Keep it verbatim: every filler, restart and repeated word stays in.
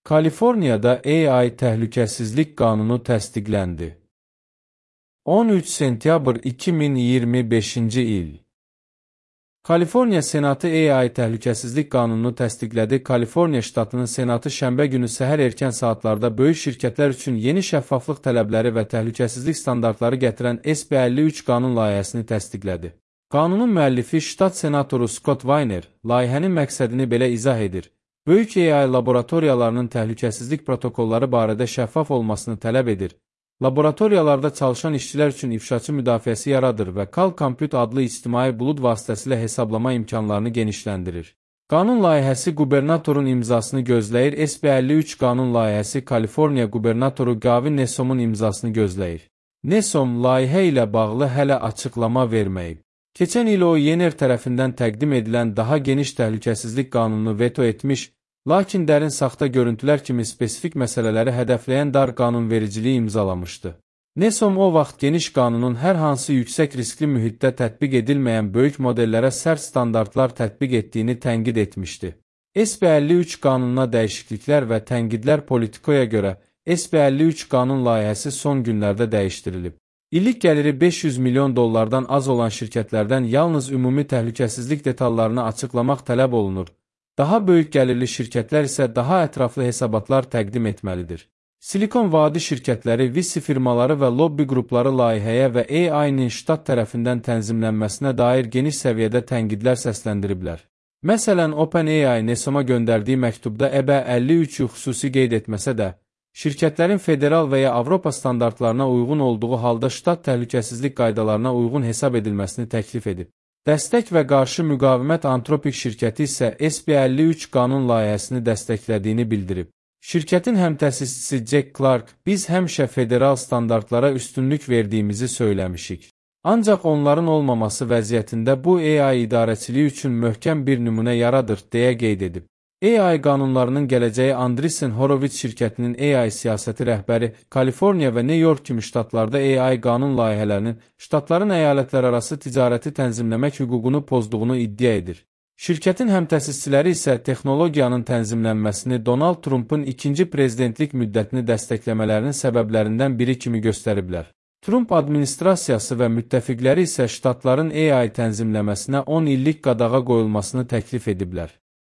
Kaliforniyada A I təhlükəsizlik qanunu təsdiqləndi. on üç sentyabr iki min iyirmi beşinci il. Kaliforniya Senatı A I təhlükəsizlik qanununu təsdiqlədi. Kaliforniya ştatının Senatı şənbə günü səhər erkən saatlarda böyük şirkətlər üçün yeni şəffaflıq tələbləri və təhlükəsizlik standartları gətirən S B əlli üç qanun layihəsini təsdiqlədi. Qanunun müəllifi ştat senatoru Scott Weiner layihənin məqsədini belə izah edir. Böyük A I laboratoriyalarının təhlükəsizlik protokolları barədə şəffaf olmasını tələb edir. Laboratoriyalarda çalışan işçilər üçün ifşaçı müdafiəsi yaradır və Cal Compute adlı ictimai bulud vasitəsilə hesablama imkanlarını genişləndirir. Qanun layihəsi qubernatorun imzasını gözləyir. S B əlli üç qanun layihəsi Kaliforniya qubernatoru Gavin Newsomun imzasını gözləyir. Newsom layihə ilə bağlı hələ açıqlama verməyib. Keçən il o Yener tərəfindən təqdim edilən daha geniş təhlükəsizlik qanununu veto etmiş, lakin dərin saxta görüntülər kimi spesifik məsələləri hədəfləyən dar qanunvericiliyi imzalamışdı. Newsom o vaxt geniş qanunun hər hansı yüksək riskli mühitdə tətbiq edilməyən böyük modellərə sərt standartlar tətbiq etdiyini tənqid etmişdi. S B əlli üç qanununa dəyişikliklər və tənqidlər Politico'ya görə S B əlli üç qanun layihəsi son günlərdə dəyişdirilib. İllik gəliri beş yüz milyon dollardan az olan şirkətlərdən yalnız ümumi təhlükəsizlik detallarını açıqlamaq tələb olunur. Daha böyük gəlirli şirkətlər isə daha ətraflı hesabatlar təqdim etməlidir. Silikon Vadi şirkətləri, V C firmaları və lobbi qrupları layihəyə və A I-nin ştat tərəfindən tənzimlənməsinə dair geniş səviyyədə tənqidlər səsləndiriblər. Məsələn, OpenAI Newsoma göndərdiyi məktubda E B əlli üçü xüsusi qeyd etməsə də, şirkətlərin federal və ya Avropa standartlarına uyğun olduğu halda ştat təhlükəsizlik qaydalarına uyğun hesab edilməsini təklif edib. Dəstək və qarşı müqavimət Anthropic şirkəti isə S B əlli üç qanun layihəsini dəstəklədiyini bildirib. Şirkətin həmtəsisçisi Jack Clark, biz həmişə federal standartlara üstünlük verdiyimizi söyləmişik. Ancaq onların olmaması vəziyyətində bu A I idarəçiliyi üçün möhkəm bir nümunə yaradır, deyə qeyd edib. A I qanunlarının gələcəyi Andreessen Horowitz şirkətinin A I siyasəti rəhbəri, Kaliforniya və New York kimi ştatlarda A I qanun layihələrinin ştatların əyalətlərarası ticarəti tənzimləmək hüququnu pozduğunu iddia edir. Şirkətin həmtəsisçiləri isə texnologiyanın tənzimlənməsini Donald Trump'ın ikinci prezidentlik müddətini dəstəkləmələrinin səbəblərindən biri kimi göstəriblər. Trump administrasiyası və müttəfiqləri isə ştatların A I tənzimləməsinə on illik qadağa qoyulmasını təklif ediblər.